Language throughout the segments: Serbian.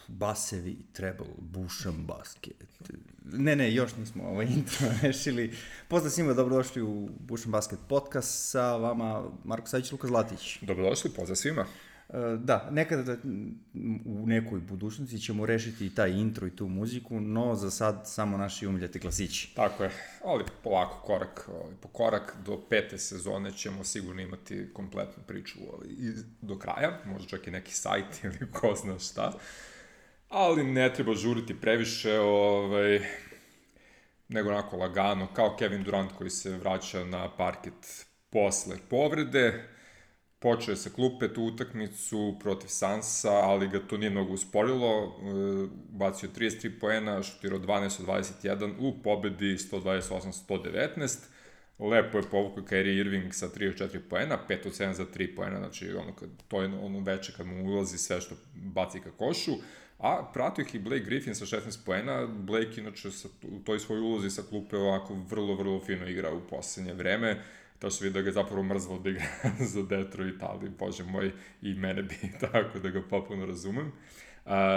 basevi, treble, bušan basket. Ne, još nismo ovaj intro rešili. Pozdrav svima, dobrodošli u Bušan basket podcast sa vama Marko Savić, Luka Zlatić. Dobrodošli, pozdrav svima. Da, nekada u nekoj budućnosti ćemo rešiti i taj intro i tu muziku, no za sad samo naši umiljati klasići. Tako je, ali polako, korak po korak, do 5. sezone ćemo sigurno imati kompletnu priču do kraja, možda čak i neki sajt ili ko zna šta, ali ne treba žuriti previše, nego onako lagano, kao Kevin Durant koji se vraća na parket posle povrede. Počeo je sa klupe tu utakmicu protiv Sansa, ali ga to nije mnogo usporilo. Bacio 33 poena, šutirao 12 od 21 u pobedi 128-119. Lepo je povukao Kyrie Irving sa 34 poena, 5 od 7 za 3 poena, znači to je ono veče kad mu ulazi sve što baci ka košu. A pratio ih i Blake Griffin sa 16 poena. Blake inače u toj svoj ulozi sa klupe ovako vrlo fino igra u poslednje vreme. To se vidi da ga je zapravo mrzlo da igra za Detroit, ali bože moj, i mene bi tako da ga popuno razumem.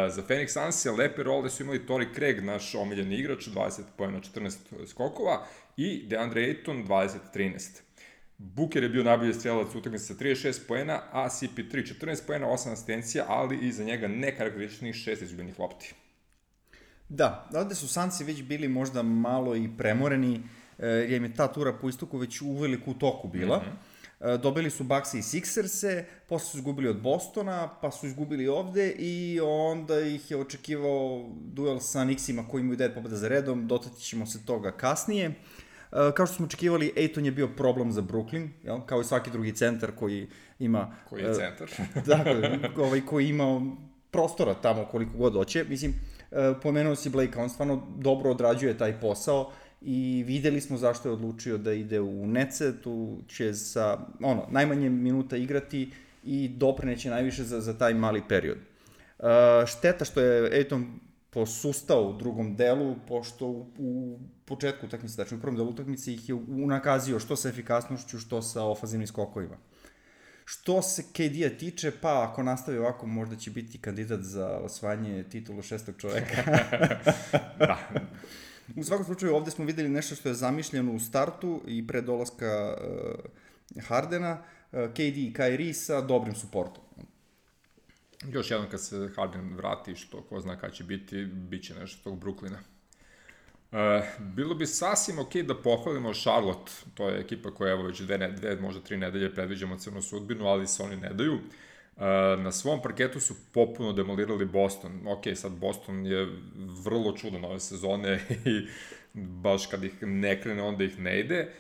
Za Phoenix Suns lepe role su imali Torrey Craig, naš omiljeni igrač, 20 poena, 14 skokova, i DeAndre Ayton, 20-13. Booker je bio najbolji strelac utakmice sa 36 poena, a CP3 14 poena, 8 asistencija, ali iza njega nekarakterističnih 6 izgubljenih lopti. Da, ovde su Sunsi već bili možda malo i premoreni, jer im je ta tura po istoku već uveliko u toku bila. Dobili su Bucks-e i Sixers-e, posle su izgubili od Bostona, pa su izgubili ovde i onda ih je očekivao duel sa Knicksima koji imaju 9 pobjeda za redom, dotaći ćemo se toga kasnije. Kao što smo očekivali, Ayton je bio problem za Brooklyn, jel? Kao i svaki drugi centar koji ima... Koji je centar? Dakle, koji ima prostora tamo koliko god hoće. Mislim, pomenuo si Blake, on stvarno dobro odrađuje taj posao i videli smo zašto je odlučio da ide u Netse, tu će sa najmanje minuta igrati i doprineće najviše za taj mali period. Šteta što je Ayton posustao u drugom delu, pošto u početku utakmice, znači u prvom delu utakmice ih je unakazio što sa efikasnošću, što sa ofanzivnim skokovima. Što se KD-a tiče, pa ako nastavi ovako, možda će biti kandidat za osvajanje titulu šestog čoveka. Da. U svakom slučaju, ovde smo videli nešto što je zamišljeno u startu i pre dolaska Hardena, KD i Kyrie sa dobrim suportom. Još jednom kad se Harden vrati, što ko zna kada će biti, bit će nešto tog Brooklyna. Bilo bi sasvim ok da pohvalimo Charlotte, to je ekipa koja evo već dve, možda 3 nedelje predviđamo crnu sudbinu, ali se oni ne daju. Na svom parketu su popuno demolirali Boston. Ok, sad Boston je vrlo čudan ove sezone i baš kad ih ne krene, onda ih ne ide.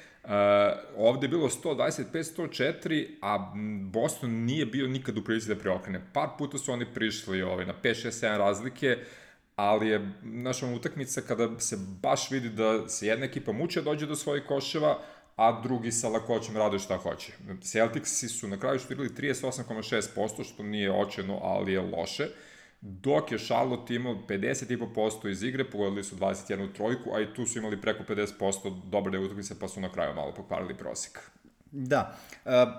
Ovde je bilo 125-104, a Boston nije bio nikad u prilici da preokrene. Par puta su oni prišli na 5-6-7 razlike, ali je naša utakmica kada se baš vidi da se jedna ekipa muče dođe do svojih koševa, a drugi sa lakoćem rade šta hoće. Celticsi su na kraju šutirali 38,6%, što nije očajno, ali je loše, dok je Charlotte imao 50,5% iz igre, pogodili su 21 trojku, a i tu su imali preko 50% dobre deo utakmice, pa su na kraju malo pokvarili prosjek. Da,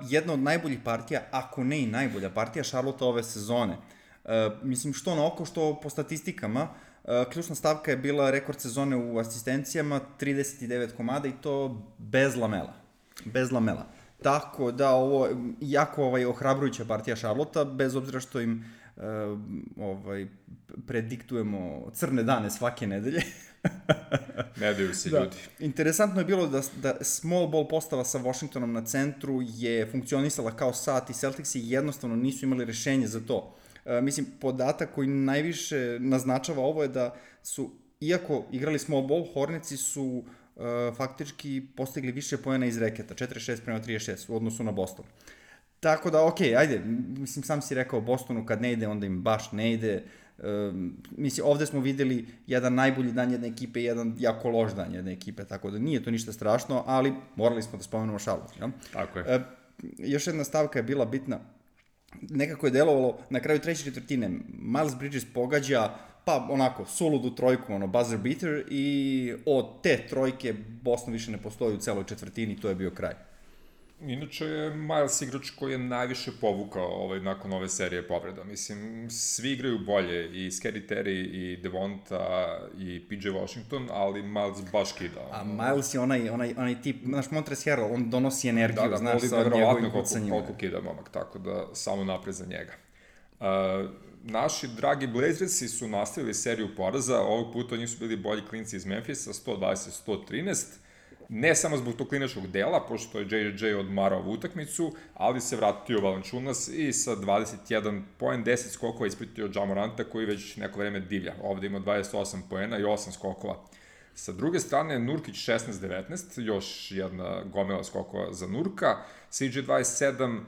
jedna od najboljih partija, ako ne i najbolja partija Charlotte ove sezone. Mislim, što na oko, što po statistikama, ključna stavka je bila rekord sezone u asistencijama, 39 komada i to bez lamela. Tako da ovo jako ohrabrujuća partija Charlotta, bez obzira što im prediktujemo crne dane svake nedelje. Ne daju se ljudi. Interesantno je bilo da small ball postava sa Washingtonom na centru je funkcionisala kao sat i Celticsi jednostavno nisu imali rešenje za to. Mislim, podatak koji najviše naznačava ovo je da su, iako igrali small ball, Hornetsi su faktički postigli više poena iz reketa, 46-36 u odnosu na Boston. Tako da, okej, ajde, mislim, sam si rekao Bostonu kad ne ide, onda im baš ne ide. Mislim, ovde smo videli jedan najbolji dan jedne ekipe i jedan jako loš dan jedne ekipe, tako da nije to ništa strašno, ali morali smo da spomenemo Charlotte. Ja? Tako je. Još jedna stavka je bila bitna. Nekako je delovalo na kraju treće četvrtine. Miles Bridges pogađa, pa onako, suludu trojku, buzzer beater, i od te trojke Boston više ne postoji u celoj četvrtini, to je bio kraj. Inače je Miles igrač koji je najviše povukao nakon ove serije povreda. Mislim, svi igraju bolje, i Scary Terry, i Devonta, i PJ Washington, ali Miles baš kida. A Miles je onaj tip, znaš, Montrezl Harrell, on donosi energiju, znaš, sa njegovim kucanjima. Koliko kida momak, tako da samo napred za njega. Naši dragi Blazersi su nastavili seriju poraza, ovog puta njih su bili bolji klinci iz Memphisa, 120-113, ne samo zbog tog klinačkog dela, pošto je JJ odmarao ovu utakmicu, ali se vratio Valanciunas i sa 21 poen, 10 skokova ispratio Ja Moranta, koji već neko vreme divlja. Ovde ima 28 poena i 8 skokova. Sa druge strane, Nurkić 16-19, još jedna gomila skokova za Nurka, CJ 27,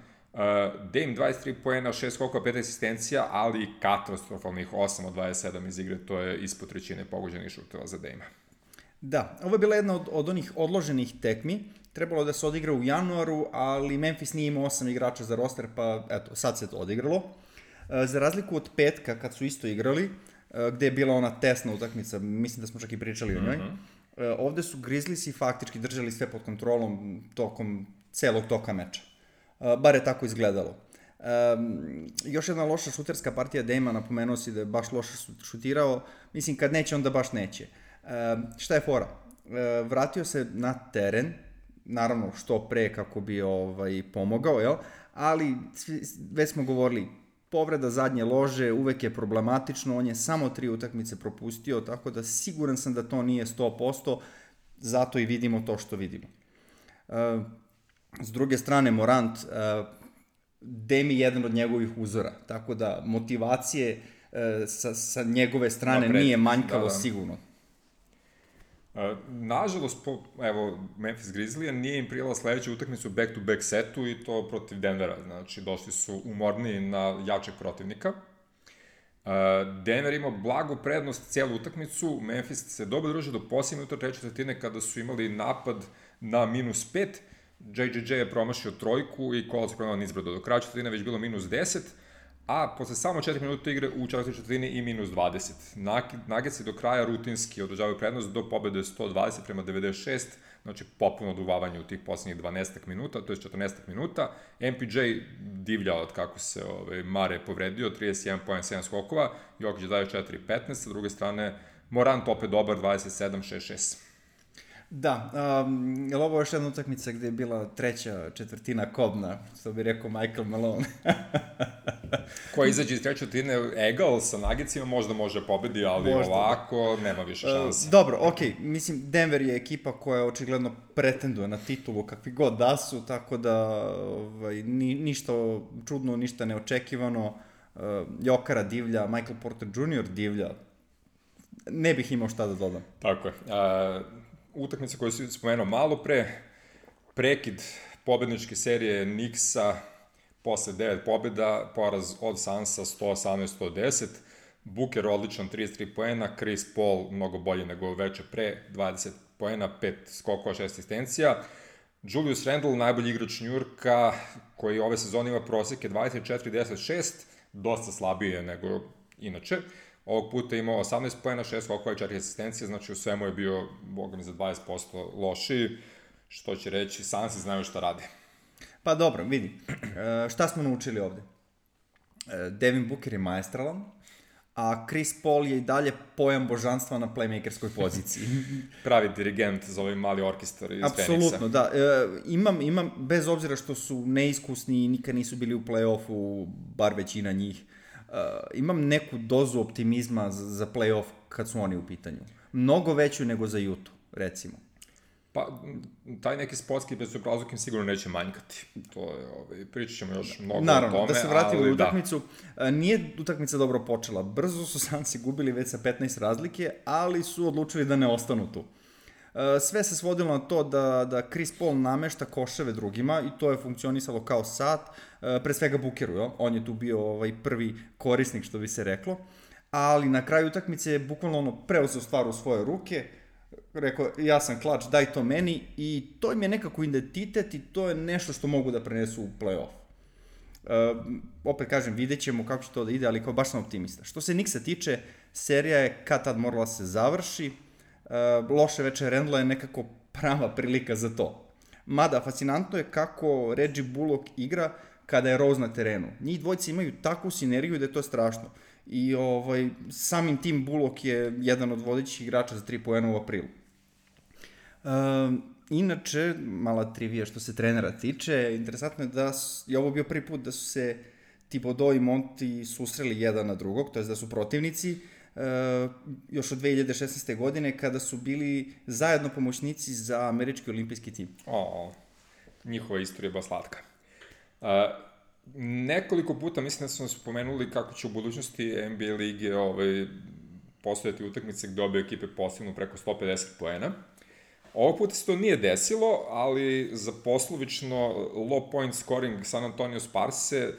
Dame 23 poena, 6 skokova, 5 asistencija, ali katastrofalnih 8 od 27 iz igre, to je ispod trećine pogođenih šuteva za Dame-a. Da, ovo je bila jedna od onih odloženih tekmi, trebalo da se odigra u januaru, ali Memphis nije imao 8 igrača za roster, pa eto, sad se to odigralo. Za razliku od petka, kad su isto igrali, gde je bila ona tesna utakmica, mislim da smo čak i pričali o njoj, ovde su Grizzliesi faktički držali sve pod kontrolom tokom celog toka meča. Bar je tako izgledalo. Još jedna loša šuterska partija Dame-a, napomenuo si da je baš loše šutirao, mislim kad neće onda baš neće. Šta je fora? Vratio se na teren, naravno što pre kako bi pomogao, jel? Ali već smo govorili, povreda zadnje lože uvek je problematično, on je samo 3 utakmice propustio, tako da siguran sam da to nije 100%, zato i vidimo to što vidimo. S druge strane, Morant, Dame je jedan od njegovih uzora, tako da motivacije sa njegove strane nije manjkalo sigurno. Nažalost, evo, Memphis Grizzlija nije im prijela sledeću utakmicu back-to-back setu i to protiv Denvera, znači došli su umorniji na jačeg protivnika. Denver ima blagu prednost cijelu utakmicu, Memphis se dobro drži do posljednje minuta treće četvrtine kada su imali napad na -5, JJJ je promašio trojku i Kola se prenala nizbrdo. Do kraja četvrtine već bilo -10, a posle samo 4 minuta igre u četvrtoj četvrtini i -20. Nuggetsi do kraja rutinski održavaju prednost do pobede 120-96, znači popuno oduvavanje u tih poslednjih 12 minuta, to je 14 minuta. MPJ divlja od kako se Mare povredio, 31 poen, 7 skokova, Jokić daje 4-15, sa druge strane Morant opet dobar, 27-6-6. Da, je li ovo još jedna utakmica gde je bila treća četvrtina kobna, što bi rekao Michael Malone? Ko izađe iz treće četvrtine egal sa Nuggetsima, možda može pobedi, ali možda, ovako nema više šanse. Dobro, okej, mislim, Denver je ekipa koja očigledno pretenduje na titulu kakvi god da su, tako da ništa čudno, ništa neočekivano. Jokara divlja, Michael Porter Jr. divlja. Ne bih imao šta da dodam. Tako je. Utakmica koju si spomenuo malo pre, prekid pobedničke serije Knicksa posle 9 pobjeda, poraz od Sansa 118-110, Booker odličan 33 poena, Chris Paul mnogo bolje nego veče pre, 20 poena, 5 skokova, 6 asistencija, Julius Randle, najbolji igrač New Yorka, koji ove sezone ima proseke 24-10-6, dosta slabije nego inače. Ovog puta imao 18 poena, 6 skokova i 4 asistencije, znači u svemu je bio, boga mi, za 20% lošiji, što će reći, Sansi znaju šta rade. Pa dobro, vidi, šta smo naučili ovde? Devin Booker je maestralan, a Chris Paul je i dalje pojam božanstva na playmakerskoj poziciji. Pravi dirigent za ovaj mali orkestar iz Feniksa. Apsolutno, da. Imam, bez obzira što su neiskusni i nikad nisu bili u play-offu, bar većina njih, imam neku dozu optimizma za play-off kad su oni u pitanju. Mnogo veću nego za Utah, recimo. Pa, taj neki sportski bezobrazluk im sigurno neće manjkati. To je, pričat ćemo još mnogo naravno, o tome. Da se vratimo u utakmicu. Nije utakmica dobro počela. Brzo su Sansi gubili već sa 15 razlike, ali su odlučili da ne ostanu tu. Sve se svodilo na to da Chris Paul namešta koševe drugima i to je funkcionisalo kao sat, pre svega Bookeru, jo? On je tu bio prvi korisnik, što bi se reklo, ali na kraju utakmice je bukvalno preuzeo stvar u svoje ruke, rekao, ja sam klač, daj to meni, i to im je nekako identitet i to je nešto što mogu da prenesu u play-off. Opet kažem, vidjet ćemo kako će to da ide, ali kao baš sam optimista. Što se Knicksa tiče, serija je kad tad morala se završi, loše veče Randla je nekako prava prilika za to. Mada, fascinantno je kako Reggie Bullock igra kada je Rose na terenu. Njih dvojice imaju takvu sinergiju da je to strašno. I samim tim Bullock je jedan od vodećih igrača za 3 poena u aprilu. Inače, mala trivija što se trenera tiče, interesantno je da je ovo bio prvi put da su se Thibodeau i Monty susreli jedan na drugog, to je da su protivnici, još od 2016. godine kada su bili zajedno pomoćnici za američki olimpijski tim. Njihova istorija je baš slatka. Nekoliko puta mislim da smo spomenuli kako će u budućnosti NBA lige postojati utakmice gde obe ekipe postignu preko 150 poena. Ovog puta se to nije desilo, ali za poslovično low point scoring San Antonio Sparse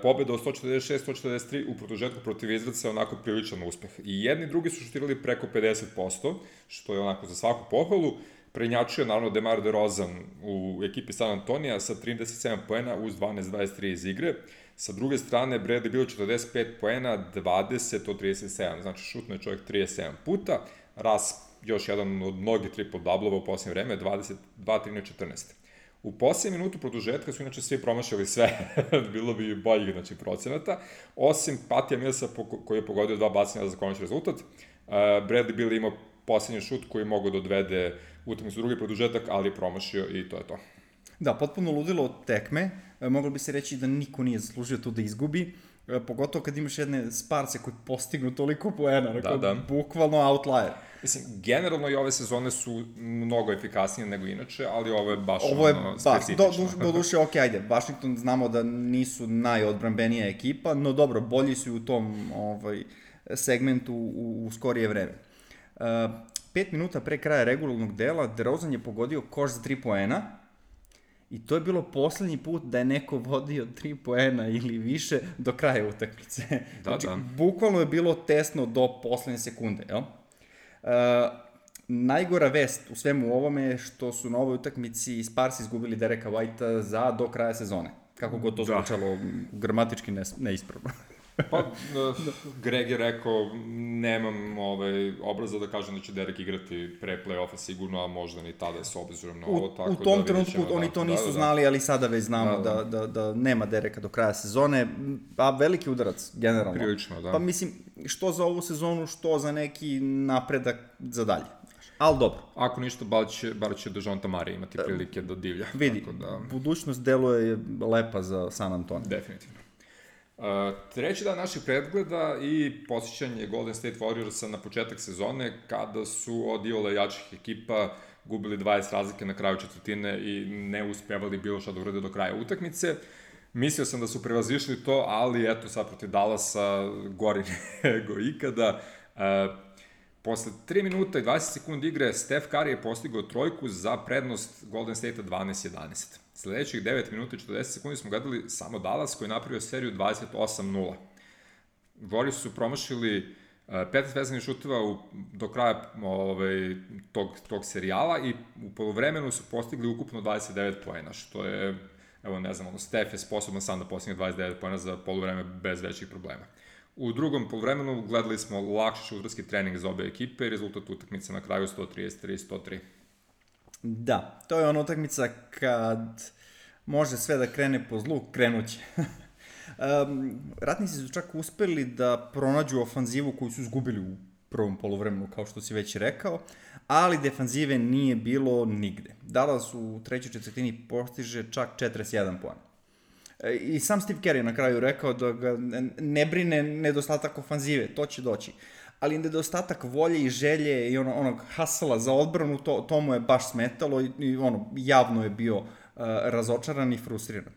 pobeda od 146-143 u produžetku protiv Izraelca je onako priličan uspeh. I jedni i drugi su šutirali preko 50%, što je onako za svaku pohvalu. Prednjačio je naravno DeMar DeRozan u ekipi San Antonija sa 37 poena uz 12-23 iz igre. Sa druge strane, Bradley bilo 45 poena, 20 od 37, znači šutno je čovjek 37 puta. Ras još jedan od mnogih triple-doublova u posljednje vreme, 2-13-14. U posljednje minutu produžetka su inače svi promašali sve, bilo bi boljih procenata, osim Patija Millsa koji je pogodio 2 bacanja za konačni rezultat. Bradley Beal imao posljednji šut koji je mogao da odvede utakmicu drugi produžetak, ali je promašio i to je to. Da, potpuno ludilo od tekme, moglo bi se reći da niko nije zaslužio tu da izgubi, pogotovo kad imaš jedne Sparse koji postignu toliko poena, bukvalno outlier. Mislim, generalno i ove sezone su mnogo efikasnije nego inače, ali ovo je baš specifično. Do duše, ajde, Washington znamo da nisu najodbrambenija ekipa, no dobro, bolji su u tom segmentu u skorije vreme. 5 minuta pre kraja regularnog dela, DeRozan je pogodio koš za 3 poena, i to je bilo poslednji put da je neko vodio 3 poena ili više do kraja utakmice. Znači, bukvalno je bilo tesno do poslednje sekunde, jel? Najgora vest u svemu ovome je što su na ovoj utakmici Sparsi izgubili Dereka Whitea do kraja sezone. Kako god to zvučalo gramatički neispravno. Pa, Greg je rekao, nemam obraza da kažem da će Derek igrati pre play-offa sigurno, a možda ni tada s obzirom na ovo. U tom trenutku oni to nisu znali, ali sada već znamo da nema Dereka do kraja sezone, a veliki udarac, generalno. Prilično, da. Pa mislim, što za ovu sezonu, što za neki napredak za dalje. Ali dobro. Ako ništa, bar će Dejounte Murray imati prilike da divlja. Vidi, budućnost deluje lepa za San Antonio. Definitivno. Treći dan naših pregleda i posjećanje Golden State Warriorsa na početak sezone, kada su od iole jačih ekipa gubili 20 razlike na kraju četvrtine i ne uspevali bilo šta da urade do kraja utakmice. Mislio sam da su prevazišli to, ali eto sad protiv Dallasa gori nego ikada. Posle 3 minuta i 20 sekundi igre, Steph Curry je postigao trojku za prednost Golden State-a 12-11. Sledećih 9 minuta i 40 sekundi smo gledali samo Dallas koji je napravio seriju 28-0. Warriors su promašili 15 vezanih šuteva do kraja tog serijala i u polovremenu su postigli ukupno 29 poena, što je, evo ne znam, Steph je sposoban sam da postigne 29 poena za polovreme bez većih problema. U drugom polovremenu gledali smo lakši šuterski trening za obe ekipe i rezultat utakmice na kraju 133-103. Da, to je ona utakmica kad može sve da krene po zlu, krenuće. Ratnici su čak uspeli da pronađu ofanzivu koju su izgubili u prvom poluvremenu, kao što si već rekao, ali defanzive nije bilo nigde. Dallas u trećoj četvrtini postiže čak 41 poena. I sam Steve Kerr je na kraju rekao da ga ne brine nedostatak ofanzive, to će doći. Ali nedostatak volje i želje i onog hasala za odbranu, to mu je baš smetalo i javno je bio razočaran i frustriran.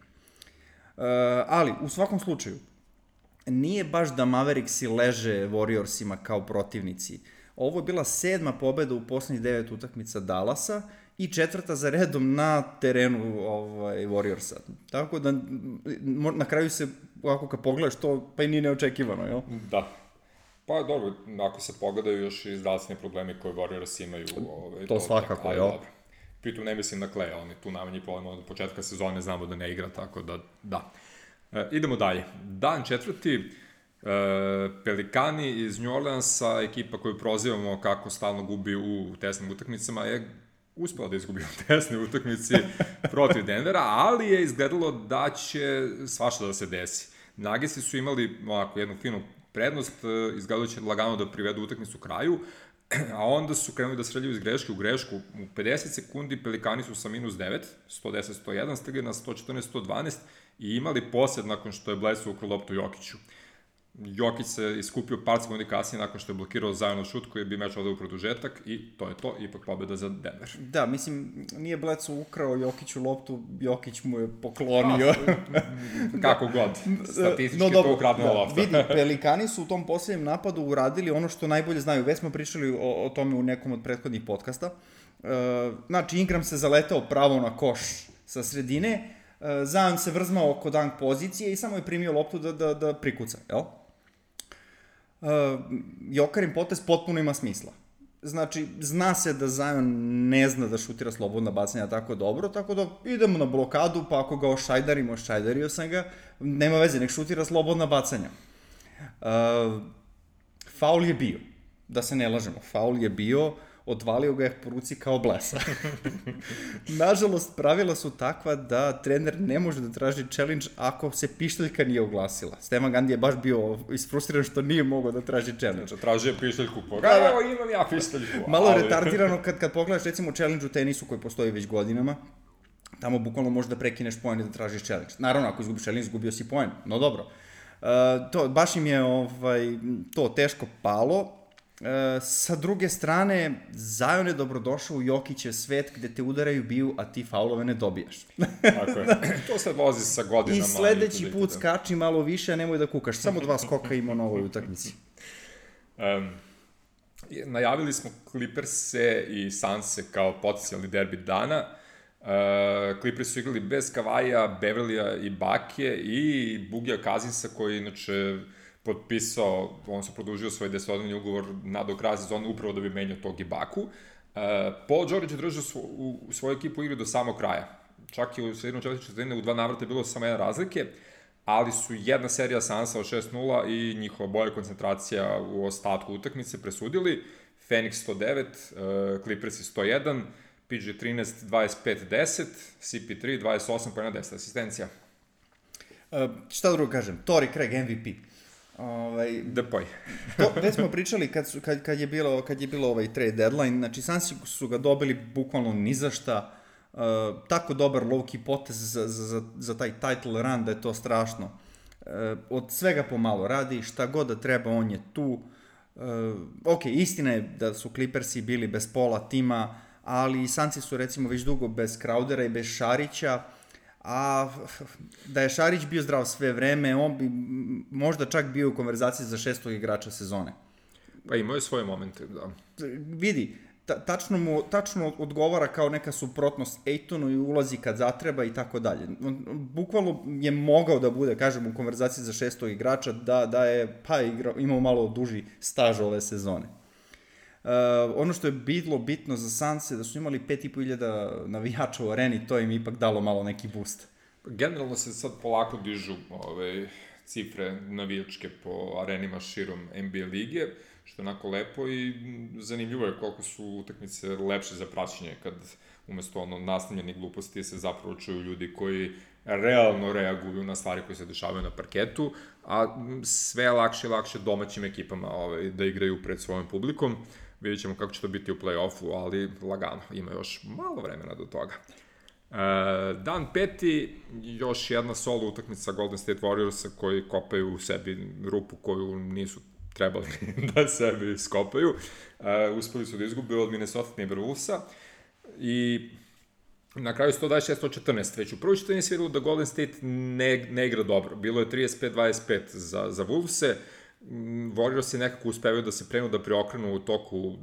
Ali, u svakom slučaju, nije baš da Mavericksi leže Warriorsima kao protivnici. Ovo je bila 7. pobeda u poslednjih 9 utakmica Dallasa i 4. za redom na terenu Warriorsa. Tako da, na kraju se, ako kad pogledaš to, pa i nije neočekivano, jel? Da. Pa dobro, ako se pogledaju još i zdravstveni problemi koje Warriors imaju. To svakako, jel? Pritom ne mislim na Kleja, on je tu najmanji problem od početka sezone, znamo da ne igra, tako da. Idemo dalje. Dan 4. Pelikani iz New Orleansa, ekipa koju prozivamo kako stalno gubi u tesnim utakmicama, je uspela da izgubi u tesnoj utakmici protiv Denvera, ali je izgledalo da će svašta da se desi. Nuggetsi su imali ovako jednu finu prednost, izgledalo će lagano da privedu utakmicu kraju, a onda su krenuli da sreljaju iz greške u grešku. U 50 sekundi Pelikani su sa minus 9, 110-101, stigli na 114-112 i imali posjed nakon što je Bledsoe ukrao loptu Jokiću. Jokić se iskupio par sekundi kasnije nakon što je blokirao Zionov šut koji bi meč odao u produžetak i to je to, ipak pobjeda za Denver. Da, mislim, nije Bledsoe ukrao Jokiću loptu, Jokić mu je poklonio. Kako god, statistički to ukradena lopta. Vidi, Pelikani su u tom posljednjem napadu uradili ono što najbolje znaju. Već smo pričali o tome u nekom od prethodnih podcasta. Znači, Ingram se zaletao pravo na koš sa sredine, Zion se vrzmao oko dank pozicije i samo je primio loptu da prikuca, jel? Jokarin potez potpuno ima smisla. Znači, zna se da Zion ne zna da šutira slobodna bacanja tako dobro, tako da idemo na blokadu, pa ako ga ošajdarimo, ošajdario sam ga, nema veze, nek šutira slobodna bacanja. Faul je bio, da se ne lažemo, faul je bio, odvalio ga je po ruci kao blesa. Nažalost, pravila su takva da trener ne može da traži challenge ako se pišteljka nije oglasila. Stevan Gandhi je baš bio isfrustriran što nije mogao da traži challenge. Znači, tražio pišteljku po evo imam ja pišteljku. Malo retardirano kad pogledaš recimo challenge u tenisu koji postoji već godinama, tamo bukvalno možeš da prekineš poen i da tražiš challenge. Naravno, ako izgubiš challenge, izgubio si poen, no dobro. Baš im je to teško palo. Sa druge strane, Zion je dobrodošao u Jokićev svet gde te udaraju biju, a ti faulove ne dobijaš. Tako je. To se vozi sa godinama. I sledeći put skači malo više, a nemoj da kukaš. Samo 2 skoka ima na ovoj utakmici. Najavili smo Clippers-e i Suns-e kao potencijalni derbi dana. Clippers su igrali bez Kavaija, Beverlya i Bake i Bugija Cousinsa koji inače potpisao, on se produžio svoj 10-odnevni ugovor do kraja sezone upravo da bi menjao tog Ibaku. Paul George je držao u svoju ekipu igru do samog kraja. Čak i u sredinom četvrtine u 2 navrata je bilo samo 1 razlike, ali su jedna serija Sansa od 6-0 i njihova bolja koncentracija u ostatku utakmice presudili. Phoenix 109, Clippers 101, PG 13, 25-10, CP3, 28 pojena 10 asistencija. Šta drugo kažem? Torrey Craig MVP. Depoj. Već smo pričali kad je bilo ovaj trade deadline, znači Sansi su ga dobili bukvalno ni za šta, tako dobar low-key potez za taj title run da je to strašno. Od svega pomalo radi, šta god da treba, on je tu. Ok, istina je da su Clippersi bili bez pola tima, ali Sansi su recimo već dugo bez Crowdera i bez Šarića, a da je Šarić bio zdrav sve vreme, on bi možda čak bio u konverzaciji za 6. igrača sezone. Pa imao je svoje momente, da. Vidi, tačno odgovara kao neka suprotnost Aytonu i ulazi kad zatreba i tako dalje. Bukvalno je mogao da bude, kažem, u konverzaciji za 6. igrača, da je imao malo duži staž ove sezone. Ono što je bilo bitno za Sanse da su imali 5.500 navijača u areni, to im ipak dalo malo neki boost. Generalno se sad polako dižu cifre navijačke po arenima širom NBA lige, što je onako lepo i zanimljivo je koliko su utakmice lepše za praćenje kad umesto nastavljenih gluposti se zapravo čuju ljudi koji realno reaguju na stvari koje se dešavaju na parketu, a sve lakše i lakše domaćim ekipama da igraju pred svojom publikom. Vidjet ćemo kako će to biti u play-offu, ali lagano, ima još malo vremena do toga. Dan 5. još jedna solo utakmica Golden State Warriorsa koji kopaju u sebi rupu koju nisu trebali da sebi skopaju. Uspeli su da izgube od Minnesota Timberwolvesa i na kraju 126-114. Već u prvoj četvrtini se videlo da Golden State ne igra dobro. Bilo je 35-25 za Wolvese. Warriors je nekako uspevaju da se prenu da preokrenu u toku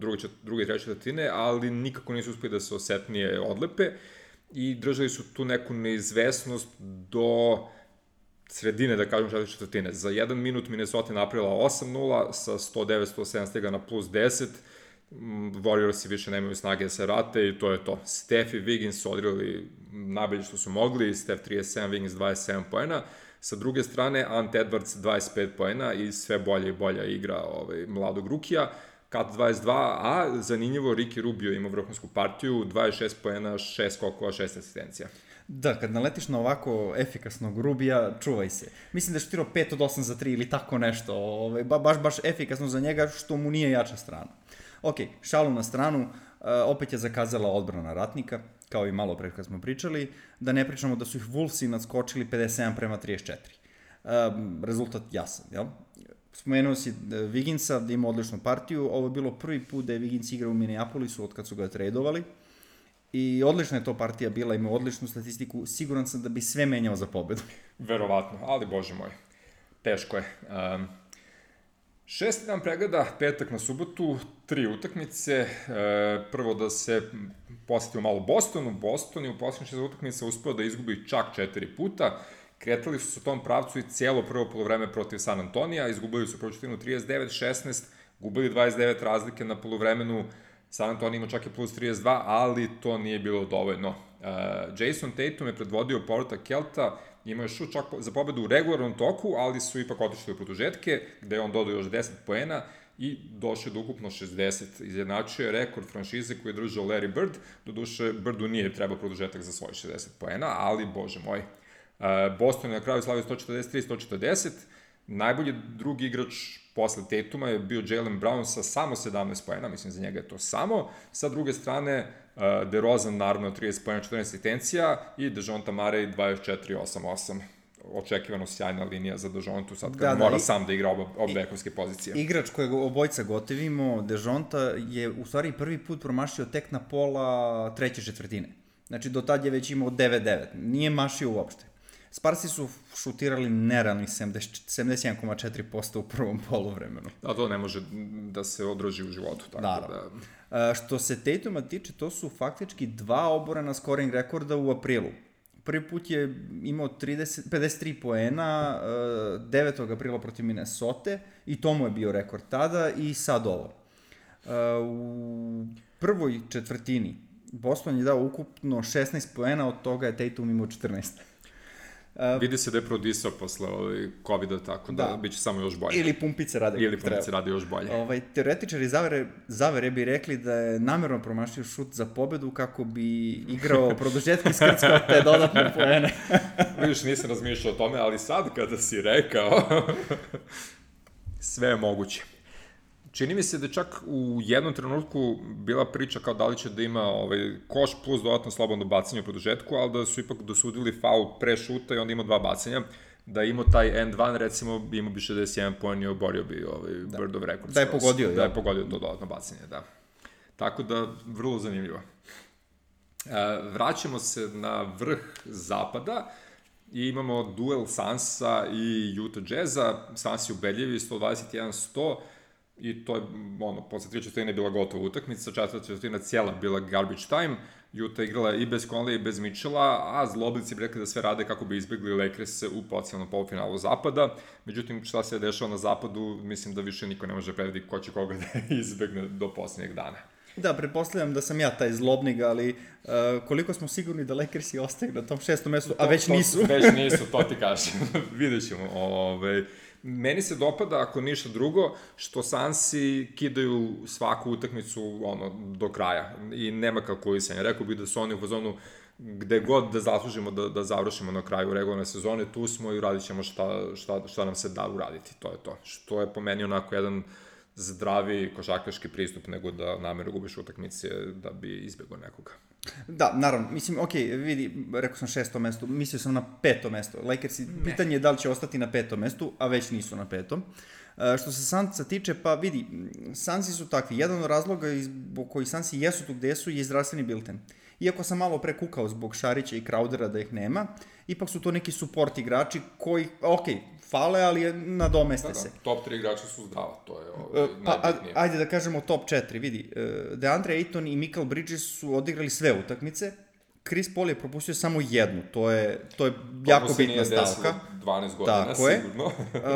druge i treće četvrtine, ali nikako nisu uspeli da se osetnije odlepe i držali su tu neku neizvesnost do sredine, da kažem, četvrte četvrtine. Za 1 minut Minnesota je napravila 8-0, sa 109-107 stiga na plus 10, Warriorsi više nemaju snage da se vrate i to je to. Steph i Wiggins su odigrali najbolje što su mogli, Steph 37, Wiggins 27 poena. Sa druge strane, Ant Edwards 25 poena i sve bolja i bolja igra mladog rukija. Kat 22, a zanimljivo, Ricky Rubio ima vrhunsku partiju, 26 poena, 6 skokova, 6 asistencija. Da, kad naletiš na ovako efikasnog Rubija, čuvaj se. Mislim da je šutirao 5 od 8 za 3 ili tako nešto. Baš efikasno za njega, što mu nije jača strana. Ok, šalu na stranu, opet je zakazala odbrana Ratnika, kao i malo pre kad smo pričali, da ne pričamo da su ih Wolvesi nadskočili 57-34. Rezultat jasan, jel? Spomenuo si Wigginsa da ima odličnu partiju, ovo je bilo prvi put da je Wiggins igrao u Minneapolisu od kad su ga tradovali i odlična je to partija bila, ima odličnu statistiku, siguran sam da bi sve menjao za pobedu. Verovatno, ali bože moj, teško je. 6. dan pregleda, petak na subotu, 3 utakmice. Prvo da se posjetimo malo Bostonu. Boston je u posljednjih 6 utakmica uspeo da izgubi čak 4 puta. Kretali su se u tom pravcu i cijelo prvo polovreme protiv San Antonija. Izgubili su prvu četvrtinu 39-16, gubili 29 razlike na polovremenu. San Antonio ima čak i plus 32, ali to nije bilo dovoljno. Jason Tatum je predvodio povratak Kelta, imao je šut čak za pobedu u regularnom toku, ali su ipak otišli u produžetke, gde je on dodao još 10 poena i došao do ukupno 60. Izjednačio je rekord franšize koji je držao Larry Bird, doduše Birdu nije trebao produžetak za svoj 60 poena, ali bože moj. Boston je na kraju slavio 143-140, najbolji drugi igrač posle Tatuma je bio Jaylen Brown sa samo 17 poena, mislim za njega je to samo. Sa druge strane, DeRozan naravno 30 poena, 14 asistencija i Dejounte Murray 24-8-8. Očekivano sjajna linija za Dejountu sad kad mora sam da igra obe bekovske pozicije. Igrač kojeg obojca gotivimo, Dejounte, je u stvari prvi put promašio tek na pola treće četvrtine. Znači do tad je već imao 9-9, nije mašio uopšte. Sparsi su šutirali nerealnih 71,4% u prvom poluvremenu. A to ne može da se održi u životu. Tako da. Što se Tatuma tiče, to su faktički 2 oborena scoring rekorda u aprilu. Prvi put je imao 53 poena 9. aprila protiv Minnesota i to mu je bio rekord tada i sad ovo. U prvoj četvrtini Boston je dao ukupno 16 poena, od toga je Tatum imao 14. Vidi se da je prodisao posle COVID-a, tako da bit će samo još bolje. Ili pumpice rade još bolje. Teoretičari zavere bi rekli da je namerno promašio šut za pobedu kako bi igrao produžetki skrckao te dodatne poene. Vidiš, nisam razmišljao o tome, ali sad kada si rekao, sve je moguće. Čini mi se da čak u jednom trenutku bila priča kao da li će da ima koš plus dodatno slobodno bacanje u produžetku, ali da su ipak dosudili faul pre šuta i onda imao 2 bacanja. Da je imao taj end one, recimo, imao bi 61 poen i oborio bi Birdov rekord. Da je pogodio. Da je pogodio to dodatno bacanje, da. Tako da, vrlo zanimljivo. Vraćamo se na vrh zapada i imamo duel Sansa i Utah Jazza. Sansi ubedljivi, 121-100. I to je, posle 3 četvrtine je bila gotova utakmica, 4. četvrtina cijela bila garbage time, Utah igrala i bez Conley i bez Mitchella, a zloblici bi rekli da sve rade kako bi izbjegli Lakers u potencijalnom polufinalu zapada. Međutim, šta se je dešava na zapadu, mislim da više niko ne može predvidjeti ko će koga da izbjegne do posljednjeg dana. Da, pretpostavljam da sam ja taj zlobnik, ali koliko smo sigurni da Lakersi ostaju na tom 6. mestu, a već nisu. Već nisu, to ti kažem. Vidjet ćemo. Meni se dopada, ako ništa drugo, što Sansi kidaju svaku utakmicu do kraja i nema kalkulisanja. Rekao bih da su oni u fazonu gde god da zaslužimo da završimo na kraju regularne sezone, tu smo i uradit ćemo šta nam se da uraditi. To je to. Što je po meni onako jedan zdravi košarkaški pristup nego da namjerno gubiš utakmice da bi izbjegao nekoga. Da, naravno, mislim, vidi, rekao sam 6. mesto, mislio sam na 5. mesto. Lakersi, pitanje je da li će ostati na 5. mestu, a već nisu na 5. Što se Sansa tiče, pa vidi, Sansi su takvi. Jedan od razloga zbog koji Sansi jesu tu gde su je zdravstveni bilten. Iako sam malo prekukao zbog Šarića i Crowdera da ih nema, ipak su to neki support igrači koji, fale, ali nadomeste se. Top 3 igrača su zdrava, to je najbitnije. Ajde da kažemo top 4, vidi. DeAndre Ayton i Michael Bridges su odigrali sve utakmice, Chris Paul je propustio samo jednu, to je jako bitna stavka. To se nije desilo 12 godina, tako sigurno.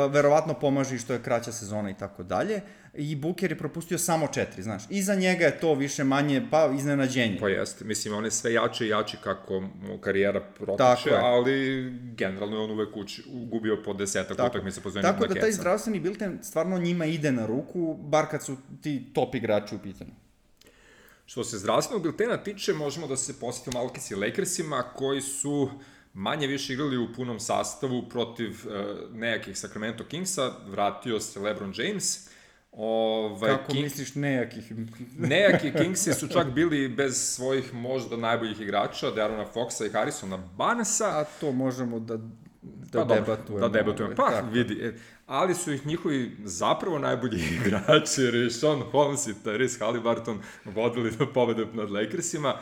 Verovatno pomaže i što je kraća sezona i tako dalje. I Booker je propustio samo 4, znaš. Iza njega je to više manje, pa iznenađenje. Pa jeste, mislim, on je sve jači i jači kako mu karijera protiče, ali generalno je on uvek gubio po 10 utakmica po zemlju na keca. Tako da taj zdravstveni bilten stvarno njima ide na ruku, bar kad su ti top igrači u pitanju. Što se zdravstvenog biltena tiče, možemo da se posjetimo Malkis i Lakersima, koji su manje više igrali u punom sastavu protiv nejakih Sacramento Kingsa, vratio se LeBron James. Kako misliš nejakih? Nejaki Kingsi su čak bili bez svojih možda najboljih igrača, De'Aarona Foxa i Harrisona Barnesa. A to možemo da debatujemo. Pa, vidi. Ali su ih njihovi zapravo najbolji igrači, Richaun Holmes i Tyrese Haliburton, vodili do pobede nad Lakersima.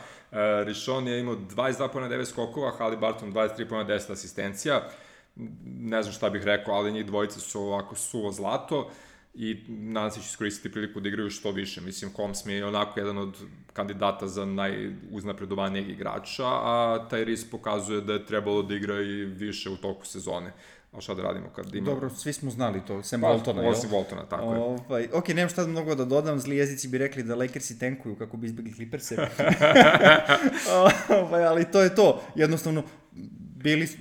Richaun je imao 22 pojena 9 skokova, Haliburton 23 pojena 10 asistencija. Ne znam šta bih rekao, ali njih dvojice su ovako suvo zlato i nadam se će iskoristiti priliku da igraju što više. Mislim, Holmes mi je onako jedan od kandidata za najuznapredovanijeg igrača, a Tyrese pokazuje da je trebalo da igra i više u toku sezone. A šta da radimo kad ima... Dobro, svi smo znali to, sem Waltona, jel? Osim Waltona, tako je. Ok, nemam šta mnogo da dodam, zli jezici bi rekli da Lakersi tankuju kako bi izbjegli Clippers-e. Ali to je to, jednostavno,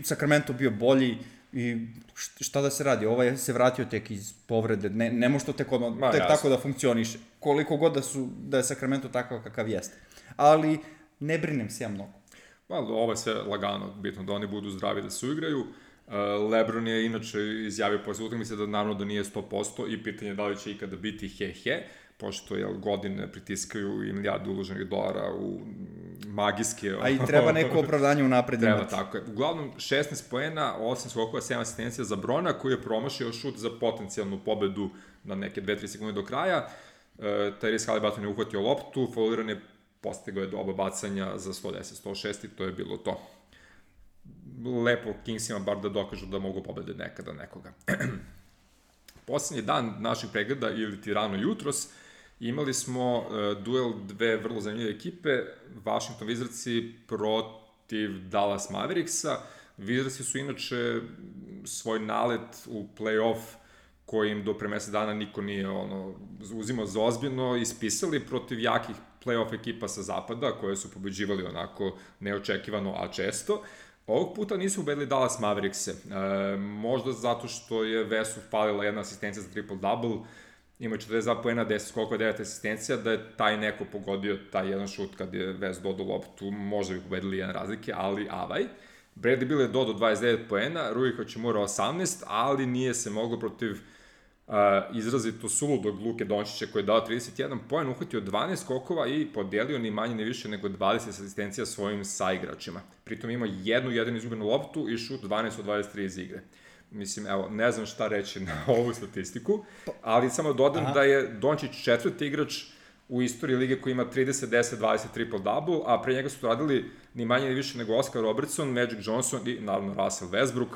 Sacramento bio bolji i šta da se radi, ovaj se vratio tek iz povrede, ne može to tek tako da funkcioniše, koliko god da je Sacramento takav kakav jeste. Ali ne brinem se ja mnogo. Ovo je sve lagano, bitno da oni budu zdravi da se uigraju. LeBron je inače izjavio posle utakmice da naravno da nije 100% i pitanje je da li će ikada biti he-he, pošto godine pritiskaju i milijardu uloženih dolara u magijske... A i treba neko opravdanje unapred imati. Treba, tako je. Uglavnom, 16 poena, 8 skokova, 7 asistencija za Brona, koji je promašio šut za potencijalnu pobedu na neke 2-3 sekunde do kraja. Tyrese Haliburton je uhvatio loptu, fauliran je, postigao je do oba bacanja za 110-106 i to je bilo to. Lepo Kingsima bar da dokažu da mogu pobede nekada nekoga. Poslednji dan našeg pregleda, ili ti rano jutros, imali smo duel dve vrlo zanimljive ekipe, Washington Wizardsi protiv Dallas Mavericksa. Wizardsi su inače svoj nalet u play-off koji im do pre mesec dana niko nije uzimao za ozbiljno, ispisali protiv jakih play-off ekipa sa zapada, koje su pobeđivali onako neočekivano, a često. Ovog puta nisu ubedili Dallas Maverickse, možda zato što je Vesu falila jedna asistencija za triple-double, ima 42 poena, 10 skokova, 9 asistencija, da je taj neko pogodio taj jedan šut kad je Ves dodao loptu, možda bi pobedili jedan razlike, ali avaj. Bradley Beal je dodao 29 poena, Rui Hachimura 18, ali nije se moglo protiv izrazito suludog Luke Dončića koji je dao 31 poen, uhvatio 12 skokova i podelio ni manje ni više nego 20 asistencija svojim saigračima. Pritom ima jednu izgubenu loptu i šut 12 od 23 iz igre. Mislim, evo, ne znam šta reći na ovu statistiku, ali samo dodam da je Dončić četvrti igrač u istoriji lige koji ima 30-10-20 triple-double, a pre njega su to radili ni manje ni više nego Oscar Robertson, Magic Johnson i naravno Russell Westbrook.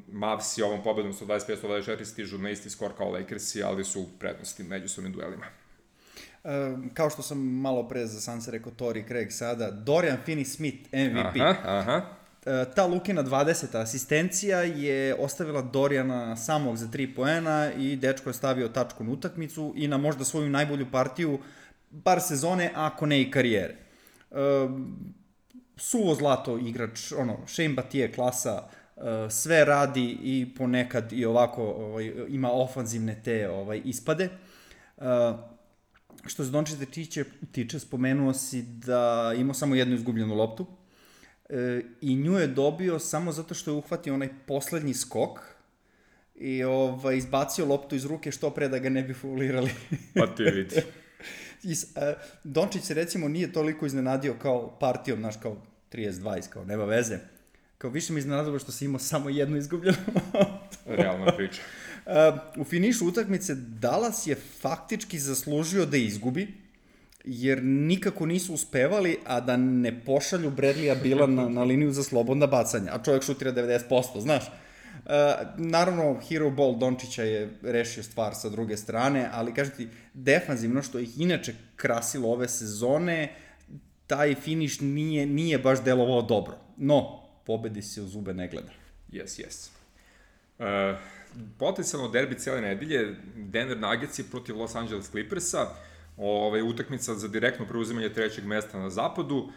Mavs i ovom pobedom 125-124 stižu na isti skor kao Lakersi, ali su u prednosti međusobnim duelima. Kao što sam malo pre za Sansa rekao Torrey Craig sada, Dorian Finney-Smith MVP. Ta Lukina 20. asistencija je ostavila Dorijana samog za 3 poena i dečko je stavio tačku na utakmicu i na možda svoju najbolju partiju bar sezone, ako ne i karijere. Suvo zlato igrač, Shane Battier klasa, sve radi i ponekad i ovako ima ofanzivne te ispade. Što se Dončića tiče, spomenuo si da imao samo jednu izgubljenu loptu i nju je dobio samo zato što je uhvatio onaj poslednji skok i izbacio loptu iz ruke što pre da ga ne bi faulirali. Pa ti vidi. Dončić se recimo nije toliko iznenadio kao partijom, znaš, kao 30-20, kao nema veze. Kao više mi iznenadilo što si imao samo jednu izgubljenu loptu. Realna priča. U finišu utakmice Dallas je faktički zaslužio da izgubi, jer nikako nisu uspevali, a da ne pošalju Bradleya Beala na liniju za slobodna bacanja, a čovjek šutira 90%, znaš. Naravno, hero ball Dončića je rešio stvar sa druge strane, ali kažem ti, defanzivno što ih inače krasilo ove sezone, taj finiš nije baš delovao dobro. No, pobedi se u zube ne gleda. Yes. Potencijalno derbi cijele nedelje, Denver Nuggets protiv Los Angeles Clippersa, utakmica za direktno preuzimanje trećeg mesta na zapadu.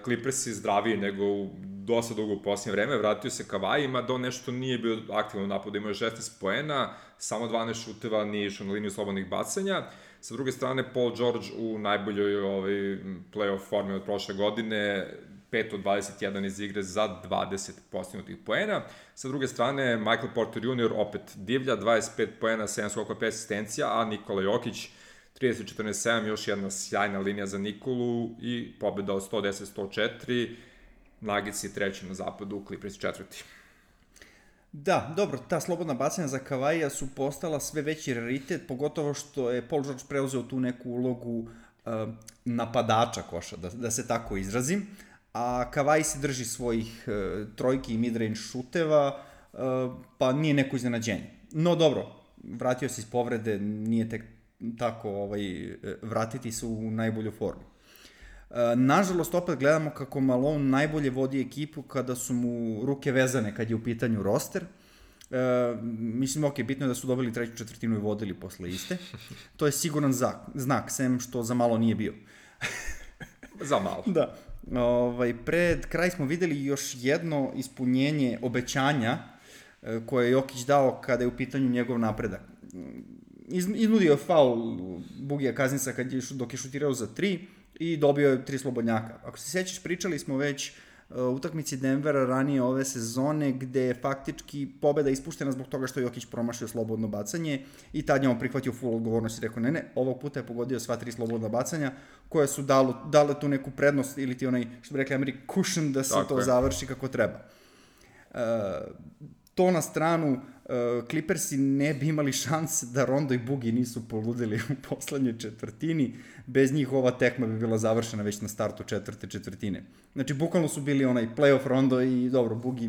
Clippersi zdraviji nego u dosta dugo u posljednje vreme, vratio se Kawhi, ima da on nešto nije bio aktivno u napadu, imao je 16 poena, samo 12 šuteva, nije išao na liniju slobodnih bacanja. Sa druge strane, Paul George u najboljoj playoff formi od prošle godine, 5 od 21 iz igre za 20 postignutih poena. Sa druge strane, Michael Porter Jr. opet divlja, 25 poena, 7 skokova, 5 asistencija, a Nikola Jokić 30-47, još jedna sjajna linija za Nikolu i pobeda od 110-104, Nuggets je treći na zapadu, Clippers četvrti. Da, dobro, ta slobodna bacanja za Kavaija su postala sve veći raritet, pogotovo što je Paul George preuzeo tu neku ulogu napadača koša, da se tako izrazim, a Kawhi se drži svojih trojki i midrange šuteva, pa nije neko iznenađenje. No dobro, vratio se iz povrede, nije tek tako vratiti se u najbolju formu. Nažalost, opet gledamo kako Malone najbolje vodi ekipu kada su mu ruke vezane kad je u pitanju roster. Mislim, bitno je da su dobili treću četvrtinu i vodili posle iste. To je siguran znak, sem što za malo nije bio. Za malo. Da. Pred kraj smo videli još jedno ispunjenje obećanja koje je Jokić dao kada je u pitanju njegov napredak. Iznudio je faul Bugija Kazinsa dok je šutirao za 3 i dobio je 3 slobodnjaka. Ako se sjećaš, pričali smo već utakmici Denvera ranije ove sezone gde je faktički pobeda ispuštena zbog toga što je Jokić promašio slobodno bacanje i tad je on prihvatio full odgovornost i rekao ne, ovog puta je pogodio sva 3 slobodna bacanja koje su dale tu neku prednost ili ti onaj, što bi rekli Ameri, cushion da se to završi kako treba. To na stranu, Clippersi ne bi imali šanse da Rondo i Boogie nisu poludili u poslednjoj četvrtini. Bez njih ova tekma bi bila završena već na startu četvrte četvrtine. Znači, bukvalno su bili onaj playoff Rondo i dobro, Boogie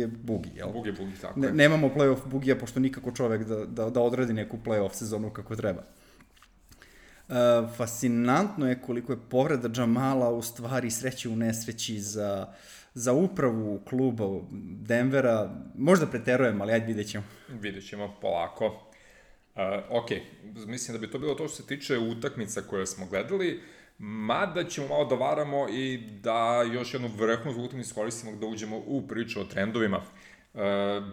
je Boogie, jel? Boogie, tako je. Nemamo playoff Boogie-a, pošto nikako čovek da odradi neku playoff sezonu kako treba. Fascinantno je koliko je povreda Jamala u stvari sreće u nesreći za upravu kluba Denvera. Možda preterujem, ali ajde vidjet ćemo. Vidjet ćemo polako. Ok, mislim da bi to bilo to što se tiče utakmica koje smo gledali, mada ćemo malo da varamo i da još jednu vrhunsku utakmicu iskoristimo da uđemo u priču o trendovima.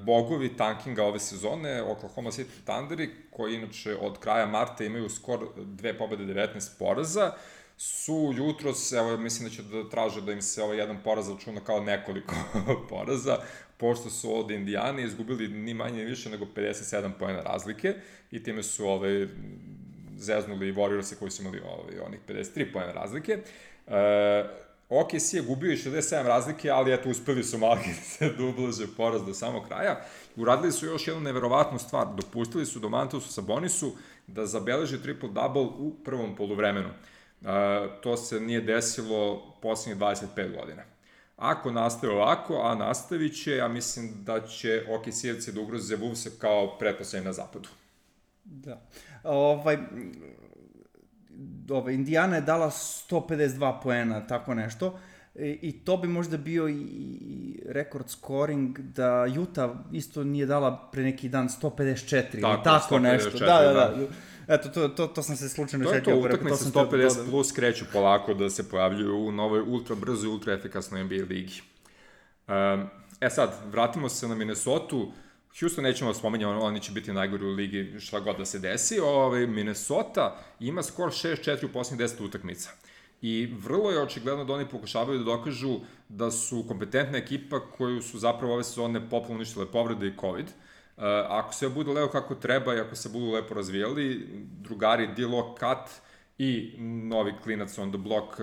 Bogovi tankinga ove sezone, Oklahoma City Thunderi, koji inače od kraja marta imaju skor 2 pobede 19 poraza, su jutros, evo mislim da će da traže da im se jedan poraz računa kao nekoliko poraza, pošto su od Indijane izgubili ni manje ni više nego 57 poena razlike i time su zeznuli Warriorse koji su imali onih 53 poena razlike. OKC je gubio i 67 razlike, ali eto, uspeli su malo da ublaže poraz do samog kraja. Uradili su još jednu neverovatnu stvar. Dopustili su Domantasu Sabonisu da zabeleži triple-double u prvom poluvremenu. To se nije desilo poslednjih 25 godina. Ako nastave ovako, a nastavit će, ja mislim da će OKC-evci da ugroze Wolvese kao pretposlednji na zapadu. Da. Indijana je dala 152 poena, tako nešto, i to bi možda bio i rekord scoring da Utah isto nije dala pre neki dan 154 ili tako nešto. Da. Eto, to sam se slučajno šetio. To je to, utakmice 150 plus kreću polako da se pojavljuju u novoj ultra brzo i ultra efikasnoj NBA ligi. Sad, vratimo se na Minnesota. Houston nećemo spominjati, oni će biti najgori u ligi šta god da se desi. Minnesota ima skor 6-4 u posljednjih 10 utakmica. I vrlo je očigledno da oni pokušavaju da dokažu da su kompetentna ekipa koju su zapravo ove sezone popolno uništile povrede i COVID. Ako sve bude lepo kako treba i ako se budu lepo razvijali, drugari D-Lo Kat i novi klinac on the block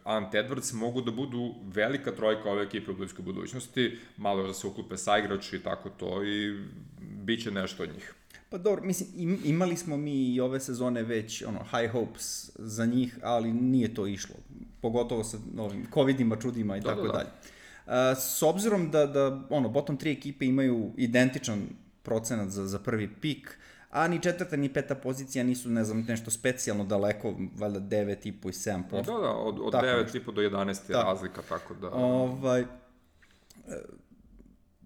Ant Edwards mogu da budu velika trojka ove ekipe u bliskoj budućnosti, malo da se uklupe saigrači i tako to i bit će nešto od njih. Pa dobro, mislim, imali smo mi i ove sezone već high hopes za njih, ali nije to išlo, pogotovo sa novim covidima, čudima i tako dalje. S obzirom da bottom 3 ekipe imaju identičan procenat za prvi pik, a ni 4. ni 5. pozicija nisu, ne znam, nešto specijalno daleko, valjda 9,5 i 7%. Da, od 9,5 do 11 je razlika, tako da...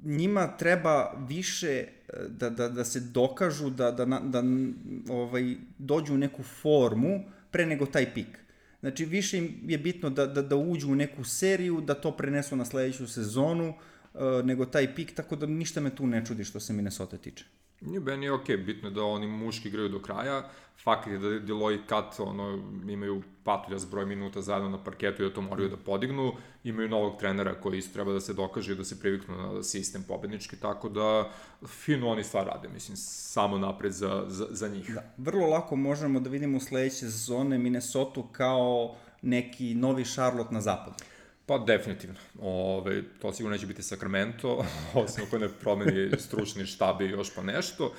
Njima treba više da se dokažu, da dođu u neku formu pre nego taj pik. Znači, više im je bitno da uđu u neku seriju, da to prenesu na sledeću sezonu, nego taj pik, tako da ništa me tu ne čudi što se Minnesota tiče. Meni je okej, bitno je da oni muški igraju do kraja, fakt je da Deloy i Kat imaju patuljas broj minuta zajedno na parketu i da to moraju da podignu, imaju novog trenera koji isto treba da se dokaže i da se priviknu na sistem pobednički, tako da fino oni stvar rade, mislim, samo napred za njih. Da, vrlo lako možemo da vidimo sledeće sezone Minnesota kao neki novi Charlotte na zapadu. Pa definitivno. To sigurno neće biti Sacramento, osim ako ne promeni stručni štab i još pa nešto,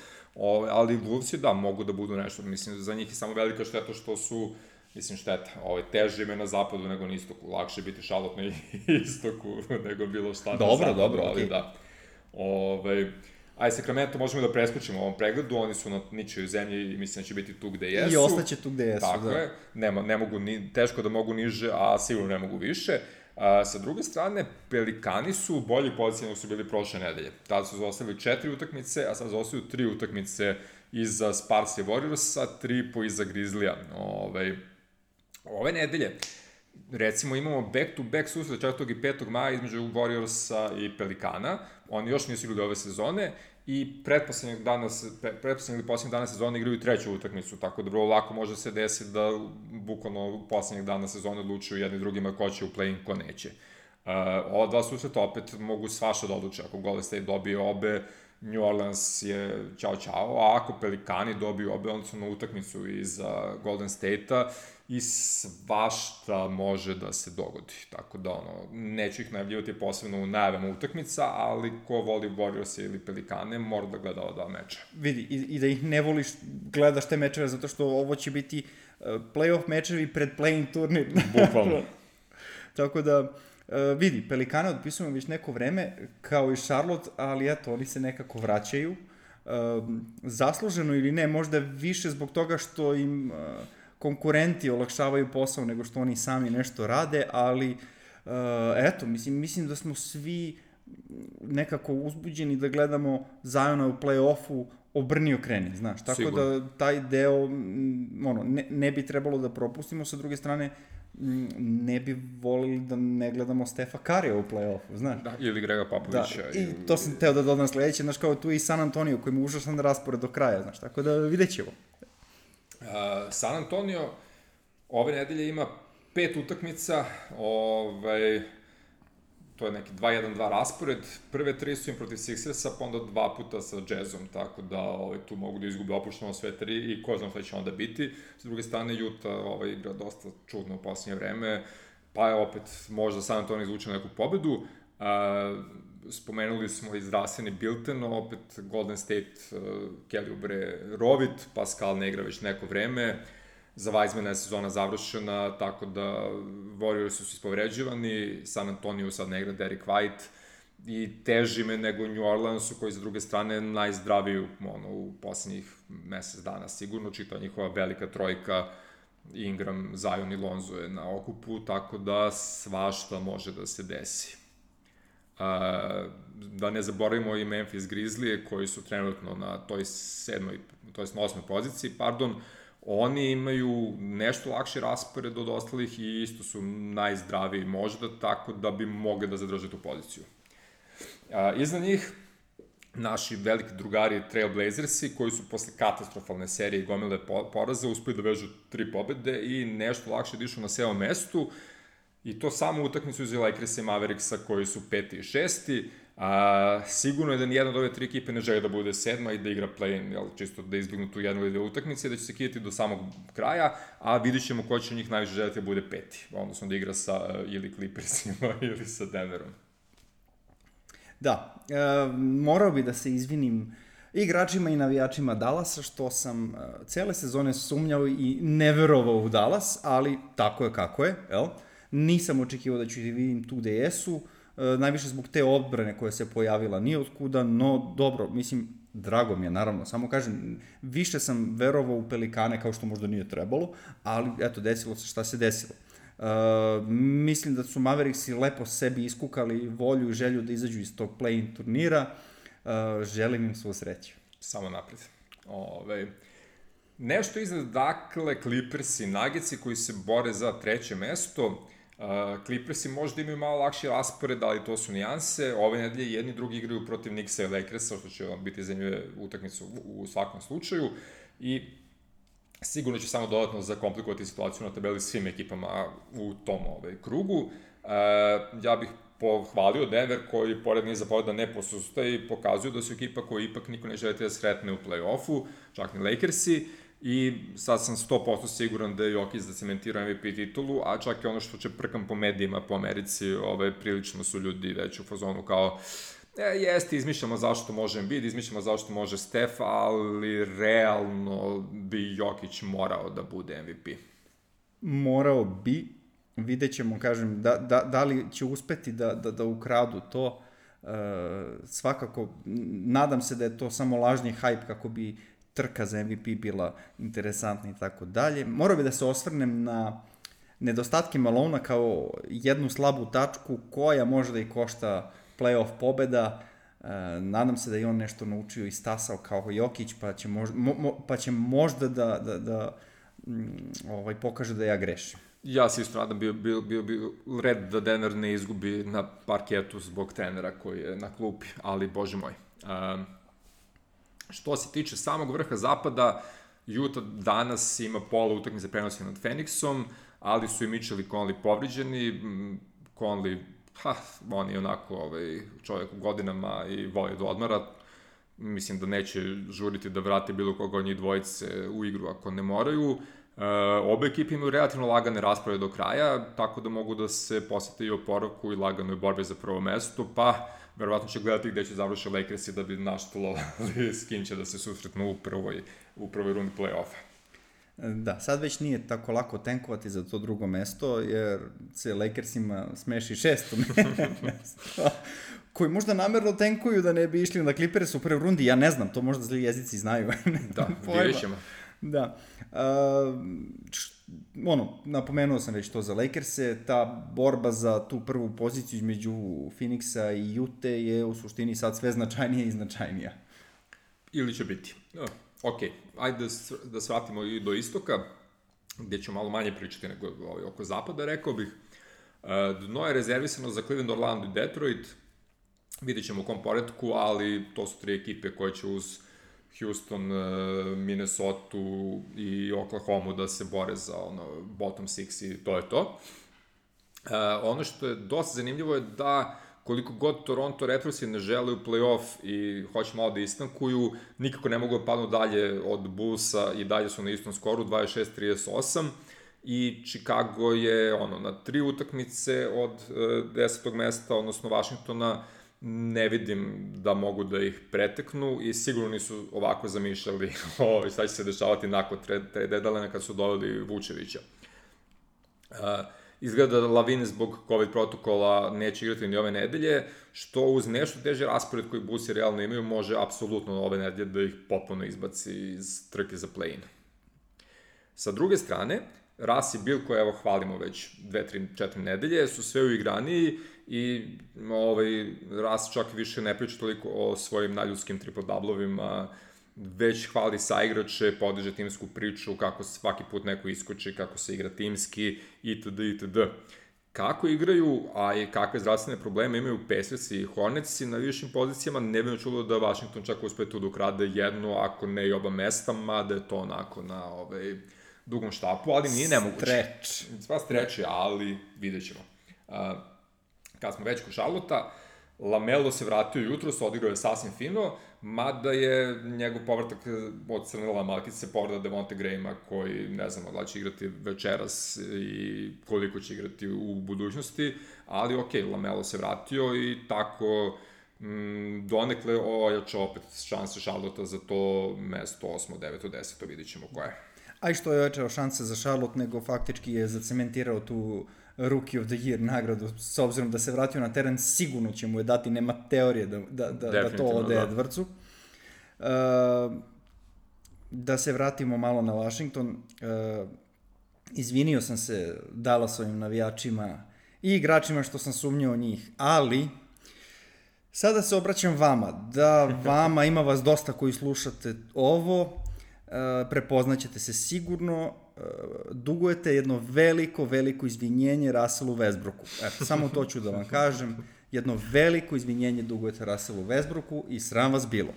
ali Wolvesi da, mogu da budu nešto. Mislim, za njih je samo velika šteta što su, šteta, teže ime na zapadu nego na istoku. Lakše biti Charlotte na istoku nego bilo šta na zapadu. Dobro, ali da. Sacramento možemo da preskočimo u ovom pregledu, oni su na ničoj zemlji i mislim da će biti tu gde jesu. I ostaće tu gde jesu, tako je, ne mogu, teško da mogu niže, a sigurno ne mogu više. Sa druge strane, Pelikani su u bolji poziciji nego su bili prošle nedelje. Tada su zaostavili 4 utakmice, a sad zaostavili 3 utakmice iza Sparsa i Warriorsa, 3,5 iza Grizzlija. Ove nedelje, recimo, imamo back-to-back susret 4. i 5. maja između Warriorsa i Pelikana. Oni još nisu igrali ove sezone i pretposlednjeg dana sezone igraju 3. utakmicu, tako da vrlo lako može se desiti da bukvalno poslednjeg dana sezone odlučuju jedni drugima ko će u play-in, ko neće. Ova dva susreta opet mogu svašta da odluče. Ako Golden State dobije obe, New Orleans je ćao, a ako Pelikani dobiju obe, onda su na utakmicu iz Golden State-a i svašta može da se dogodi. Tako da, neću ih najavljivati posebno u najavama utakmica, ali ko voli Warriors ili Pelikane, mora da gleda ova dva meča. Vidi, i da ih ne voliš, gledaš te mečeve, zato što ovo će biti play-off mečevi pred play-in turnir. Bukvalno. Tako da, vidi, Pelikane otpisujemo već neko vreme, kao i Charlotte, ali eto, oni se nekako vraćaju. Zasluženo ili ne, možda više zbog toga što im konkurenti olakšavaju posao nego što oni sami nešto rade, ali eto, mislim da smo svi nekako uzbuđeni da gledamo Ziona u play-offu obrni okreni, znaš, tako sigurno. Da taj deo ne bi trebalo da propustimo, sa druge strane ne bi volili da ne gledamo Stefa Karija u play-offu, znaš. Da, ili Grega Popovića. Da, i to sam teo da dodam sledeće, znaš, kao tu i San Antonio koji mu užasan raspored do kraja, znaš, tako da vidjet ćemo. San Antonio ove nedelje ima 5 utakmica, to je neki 2-1-2 raspored, prve 3 su im protiv Sixersa, pa onda 2 puta sa Jazzom, tako da tu mogu da izgube opušteno sve 3 i ko znam šta će onda biti. S druge strane, Utah igra dosta čudno u posljednje vreme, pa je opet možda San Antonio izvuče neku pobedu. Spomenuli smo i zdravstveni Bilten, opet Golden State, Kelly Oubre rovit, Pascal ne igra već neko vreme, za Weizmana je sezona završena, tako da Warriors su ispovređivani, San Antonio sad ne igra Derek White i teži me nego New Orleansu koji sa druge strane najzdraviju u poslednjih mesec dana sigurno, čita njihova velika trojka, Ingram, Zion i Lonzo je na okupu, tako da svašta može da se desi. Da ne zaboravimo i Memphis Grizzlije koji su trenutno na toj 8. poziciji, oni imaju nešto lakši raspored od ostalih i isto su najzdraviji možda, tako da bi mogli da zadrže tu poziciju. Iza njih naši veliki drugari Trail Blazersi koji su posle katastrofalne serije i gomile poraza uspeli da vežu 3 pobede i nešto lakše dišu na 7. mestu. I to samo utakmicu iz Lakersa i Mavericksa koji su 5. i 6. Sigurno je da nijedna od ove 3 ekipe ne želi da bude 7. i da igra play-in, čisto da izbjegnu tu jednu ili dve utakmice, da će se kidati do samog kraja, a vidit ćemo ko će njih najviše želiti da bude 5. Odnosno da igra sa ili Clippersima ili sa Denverom. Da, morao bi da se izvinim igračima i navijačima Dallasa, što sam cele sezone sumnjao i ne verovao u Dallas, ali tako je kako je, jel? Nisam očekivao da ću ih vidim tu gde jesu, najviše zbog te odbrane koja se pojavila nije otkuda, no dobro, mislim, drago mi je, naravno, samo kažem, više sam verovao u Pelikane kao što možda nije trebalo, ali eto, desilo se šta se desilo. Mislim da su Mavericksi lepo sebi iskukali volju i želju da izađu iz tog play-in turnira, želim im svu sreću. Samo napred. Nešto iznad, dakle, Clippers i Nuggetsi koji se bore za treće mesto. Clippersi možda imaju malo lakši raspored, ali to su nijanse. Ove nedelje jedni drugi igraju protiv Knicksa i Lakersa, što će biti zanimljive utakmice u svakom slučaju. I sigurno će samo dodatno zakomplikovati situaciju na tabeli svim ekipama u tom krugu. Ja bih pohvalio Denver koji pored niza pobeda ne posustaje i pokazuju da su ekipa koja ipak niko ne želite da sretne u play-offu, čak ni Lakersi. I sad sam 100% siguran da je Jokić zacementirao MVP titulu, a čak i ono što će prkam po medijima po Americi, prilično su ljudi već u fazonu kao jeste, izmišljamo zašto može Embiid, izmišljamo zašto može Steph, ali realno bi Jokić morao da bude MVP. Morao bi, vidjet ćemo, kažem, da li će uspeti da ukradu to. Svakako, nadam se da je to samo lažni hype kako bi trka za MVP bila interesantna i tako dalje. Morao bi da se osvrnem na nedostatke Malona kao jednu slabu tačku koja možda i košta playoff pobeda. Nadam se da je on nešto naučio i stasao kao Jokić, pa će možda da pokaže da ja grešim. Ja se isto nadam, bio red da Denver ne izgubi na parketu zbog trenera koji je na klupi, ali bože moj. Što se tiče samog vrha zapada, Utah danas ima pola utakmice prenosi nad Phoenixom, ali su i Mitchell i Conley povriđeni. Conley, on je onako čovjek u godinama i voli da odmara. Mislim da neće žuriti da vrate bilo koga od njih dvojice u igru ako ne moraju. Obe ekipe imaju relativno lagane rasprave do kraja, tako da mogu da se posete i oporavku i laganoj borbe za prvo mesto, pa verovatno će gledati gde će završiti Lakersi da bi naštulovali s kim će da se susretnu u prvoj rundi play-offa. Da, sad već nije tako lako tenkovati za to drugo mesto, jer se Lakersima smeši šesto mesto, koji možda namerno tenkuju da ne bi išli na Clippers u prvoj rundi, ja ne znam, to možda zli jezici znaju. Da, vidjet ćemo. Da. Napomenuo sam već to za Lakerse, ta borba za tu prvu poziciju između Phoenixa i Ute je u suštini sad sve značajnija i značajnija. Ili će biti. Ok, ajde da svratimo i do istoka, gde ću malo manje pričati nego oko zapada, rekao bih. Dno je rezervisano za Cleveland, Orlando i Detroit. Vidjet ćemo u kom poredku, ali to su tri ekipe koje će uz Houston, Minnesota i Oklahoma da se bore za bottom six i to je to. Ono što je dosta zanimljivo je da koliko god Toronto Raptorsi ne žele u play-off i hoće malo da istankuju, nikako ne mogu da padnu dalje od Bullsa i dalje su na istom skoru, 26-38, i Chicago je na 3 utakmice od 10. mesta, odnosno Washingtona, ne vidim da mogu da ih preteknu i sigurno nisu ovako zamišljali šta će se dešavati nakon trade deadline kad su doveli Vučevića. Izgleda da Lavin zbog COVID protokola neće igrati ni ove nedelje, što uz nešto teže raspored koji Bullsi realno imaju može apsolutno ove nedelje da ih potpuno izbaci iz trke za play-in. Sa druge strane, Russ i Bill, koje evo hvalimo već 2, 3, 4 nedelje, su sve uigraniji i Russ čak više ne priča toliko o svojim najljudskim triple-doublovima, već hvali saigrače, podiže timsku priču, kako svaki put neko iskoči, kako se igra timski, itd. itd. Kako igraju, a i kakve zdravstvene probleme imaju Pacersi i Hornetsi na višim pozicijama, ne bi me čulo da Washington čak uspe tu da ukrade jedno, ako ne i oba mesta, mada je to onako na dugom štapu, ali nije nemoguće. Sva streč je, ali vidjet ćemo. Kad smo već kod Charlotta, Lamelo se vratio jutros, odigrao je sasvim fino, mada je njegov povratak od crnila malkice povreda Devonte Grahama, koji ne znamo da će igrati večeras i koliko će igrati u budućnosti, ali ok, Lamelo se vratio i tako donekle ojača opet šanse Charlotta za to mesto 8., 9., 10., vidit ćemo koje. A i što je ojačao šanse za Charlotte, nego faktički je zacementirao tu Rookie of the Year nagradu, s obzirom da se vratio na teren, sigurno će mu je dati, nema teorije da to ode Edwardsu. Da se vratimo malo na Washington, izvinio sam se Dallasovim navijačima i igračima što sam sumnjao u njih, ali sada se obraćam vama, da vama ima vas dosta koji slušate ovo, prepoznaćete se sigurno, dugujete jedno veliko izvinjenje Russellu Westbrooku. Eto, samo to ću da vam kažem. Jedno veliko izvinjenje dugujete Russellu Westbrooku i sram vas bilo.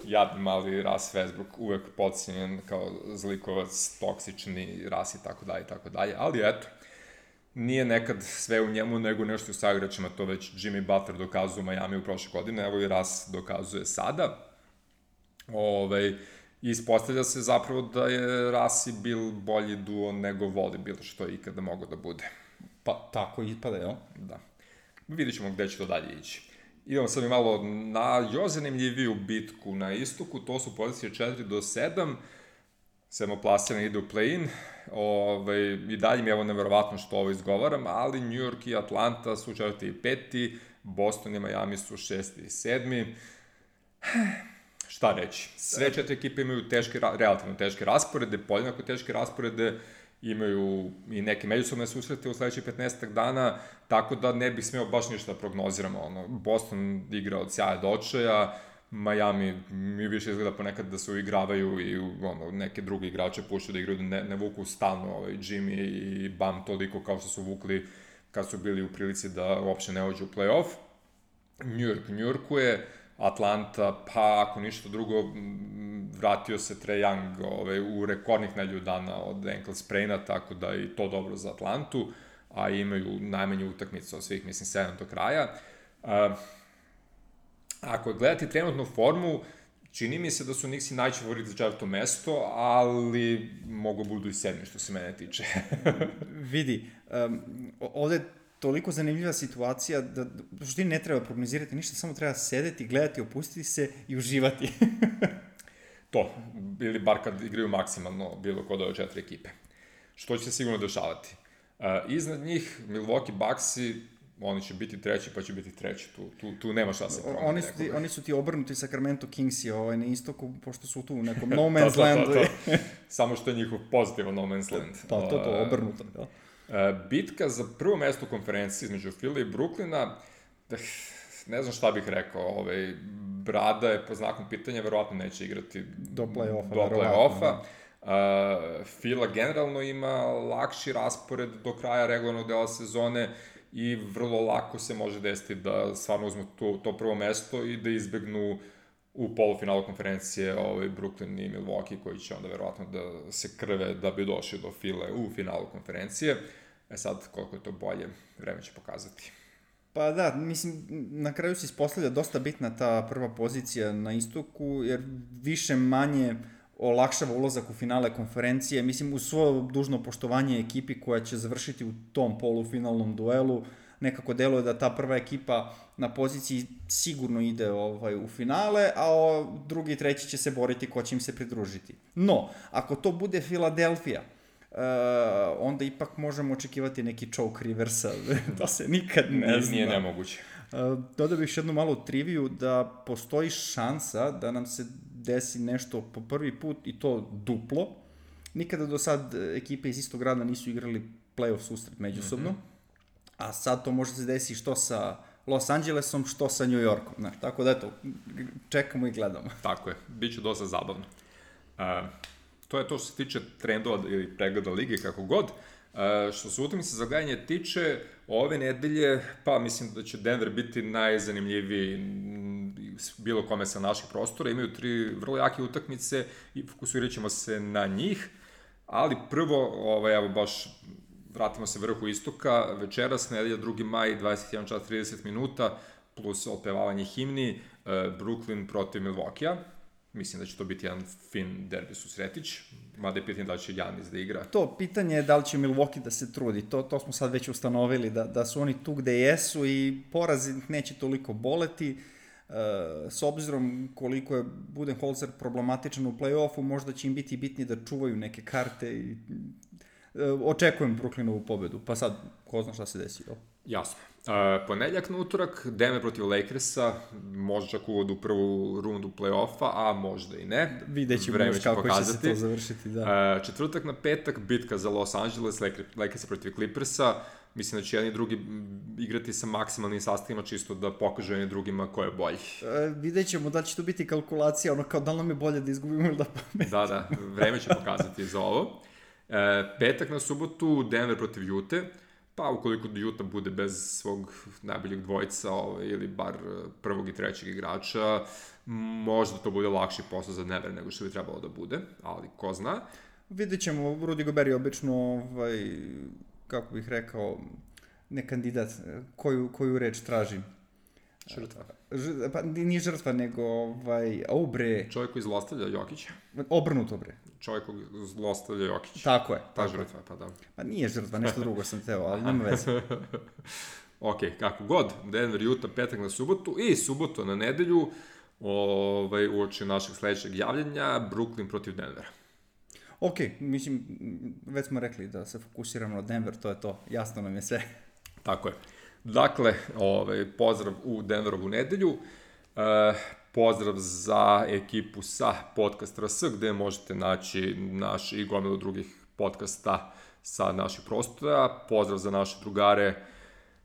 Jadni mali Russ Westbrook, uvek podcijenjen kao zlikovac, toksični Russ i tako dalje, ali eto, nije nekad sve u njemu, nego nešto u saigračima, to već Jimmy Butler dokazuje u Miami u prošle godine, evo i Russ dokazuje sada. Ispostavlja se zapravo da je Russ i Bill bolji duo nego Voli bilo što je ikada moglo da bude. Pa tako ispada, jel? Da. Vidit ćemo gde će to dalje ići. Idemo sad i malo na još zanimljiviju bitku na istoku, to su pozicije 4 do 7, sedmoplasirani ide u play-in, i dalje mi je ovo neverovatno što ovo izgovaram, ali New York i Atlanta su 4. i 5. Boston i Miami su 6. i 7. Šta reći? Sve 4 ekipe imaju relativno teške rasporede, podjednako teške rasporede, imaju i neke međusobne susrete u sledećih 15 dana, tako da ne bih smeo baš ništa da prognoziramo. Boston igra od sjaja do očaja, Miami mi više izgleda ponekad da se uigravaju i neke druge igrače puštaju da igraju, da ne vuku stalno Jimmy i Bam toliko kao što su vukli kad su bili u prilici da uopšte ne uđu u play-off. New Yorkuje, Atlanta, pa ako ništa drugo, vratio se Trae Young u rekordnih nedelju dana od ankle spraina, tako da i to dobro za Atlantu, a imaju najmanju utakmicu od svih, mislim, 7 do kraja. Ako gledati trenutnu formu, čini mi se da su Knicksi najveći favorit za 4. mesto, ali mogu budu i 7. što se mene tiče. Vidi, ovde toliko zanimljiva situacija da što ne treba prognozirati ništa, samo treba sedeti, gledati, opustiti se i uživati. To, ili bar kad igraju maksimalno bilo kod ove 4 ekipe. Što će se sigurno dešavati. Iznad njih, Milwaukee Bucksi, oni će biti 3. pa će biti 3. Tu nema šta se promeni. Oni su ti obrnuti Sacramento Kingsi na istoku, pošto su tu u nekom no man's landu. Samo što je njihov pozitivan no man's land. To, obrnuto, da. Bitka za prvo mesto u konferenciji između Philly i Brooklyna, ne znam šta bih rekao, Brada je po znakom pitanja, verovatno neće igrati do play-offa. Philly generalno ima lakši raspored do kraja regularnog dela sezone i vrlo lako se može desiti da stvarno uzmu to prvo mesto i da izbegnu u polufinalu konferencije Brooklyn i Milwaukee, koji će onda verovatno da se krve da bi došli do Philly u finalu konferencije. Sad, koliko je to bolje, vreme će pokazati. Pa da, mislim, na kraju se ispostavlja dosta bitna ta prva pozicija na istoku, jer više manje olakšava ulazak u finale konferencije. Mislim, uz svoje dužno poštovanje ekipi koja će završiti u tom polufinalnom duelu, nekako deluje da ta prva ekipa na poziciji sigurno ide u finale, a drugi i treći će se boriti ko će im se pridružiti. No, ako to bude Filadelfija, onda ipak možemo očekivati neki choke reversa, da se nikad ne zna. Nije nemoguće. Dodao bih još jednu malu triviju da postoji šansa da nam se desi nešto po prvi put i to duplo. Nikada do sad ekipe iz istog grada nisu igrali play-off susret međusobno, a sad to može se desiti što sa Los Angelesom, što sa New Yorkom. Tako da eto, čekamo i gledamo. Tako je, bit će dosta zabavno. To je to što se tiče trendova ili pregleda lige, kako god. Što se utakmice za gledanje tiče, ove nedelje, pa mislim da će Denver biti najzanimljiviji bilo kome sa naših prostora. Imaju 3 vrlo jake utakmice i fokusirat ćemo se na njih, ali prvo, evo baš vratimo se vrhu istoka, večeras, nedelja 2. maj, 21 čas 30 minuta, plus otpevavanje himni, Brooklyn protiv Milwaukee-a. Mislim da će to biti jedan fin derbi susretić, mada je pitanje da će Giannis da igra. To pitanje je da li će Milwaukee da se trudi, to smo sad već ustanovili, da su oni tu gde jesu i poraz neće toliko boleti. S obzirom koliko je Budenholzer problematičan u play-offu, možda će im biti bitnije da čuvaju neke karte i očekujem Brooklynovu pobedu, pa sad ko zna šta se desi. Jasno. Ponedljak na utorak, Denver protiv Lakersa, možda čak uvod u prvu rundu play-offa, a možda i ne. Vidjet ćemo još kako će se to završiti, da. Četvrtak na petak, bitka za Los Angeles, Lakersa protiv Clippersa. Mislim da će jedni i drugi igrati sa maksimalnim sastavima, čisto da pokažu jedni drugima ko je bolji. Vidjet ćemo da će to biti kalkulacija, ono kao da li nam je bolje da izgubimo ili da pametimo. Da, vreme će pokazati za ovo. Petak na subotu, Denver protiv Ute. Pa ukoliko Utah bude bez svog najboljeg dvojica ili bar prvog i trećeg igrača, možda to bude lakši posao za Denver nego što bi trebalo da bude, ali ko zna. Vidjet ćemo, Rudy Gobert je obično, kako bih rekao, ne kandidat, koju reč traži. Žrtva. Pa nije žrtva, nego bre. Čovjek koji zlostavlja Jokića. Obrnuto, bre. Čovjek koji zlostavlja Jokića. Tako je. Ta žrtva, pa da. Pa nije žrtva, nešto drugo sam teo, ali nema veze. Ok, kako god, Denver, Utah, petak na subotu i subotu na nedelju, uoči našeg sledećeg javljanja, Brooklyn protiv Denvera. Ok, mislim, već smo rekli da se fokusiramo na Denver, to je to, jasno nam je sve. Tako je. Dakle, pozdrav u Denverovu nedelju, pozdrav za ekipu sa Podcast RS, gde možete naći naš i gomilu drugih podcasta sa naših prostora, pozdrav za naše drugare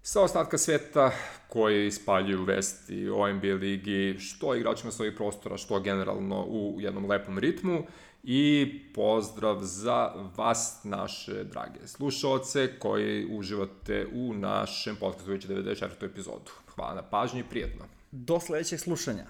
sa ostatka sveta koji ispaljuju vesti o NBA ligi, što igračima svojih prostora, što generalno u jednom lepom ritmu. I pozdrav za vas, naše drage slušaoce koji uživate u našem podcastu već 94. epizodu. Hvala na pažnji i prijetno. Do sledećeg slušanja.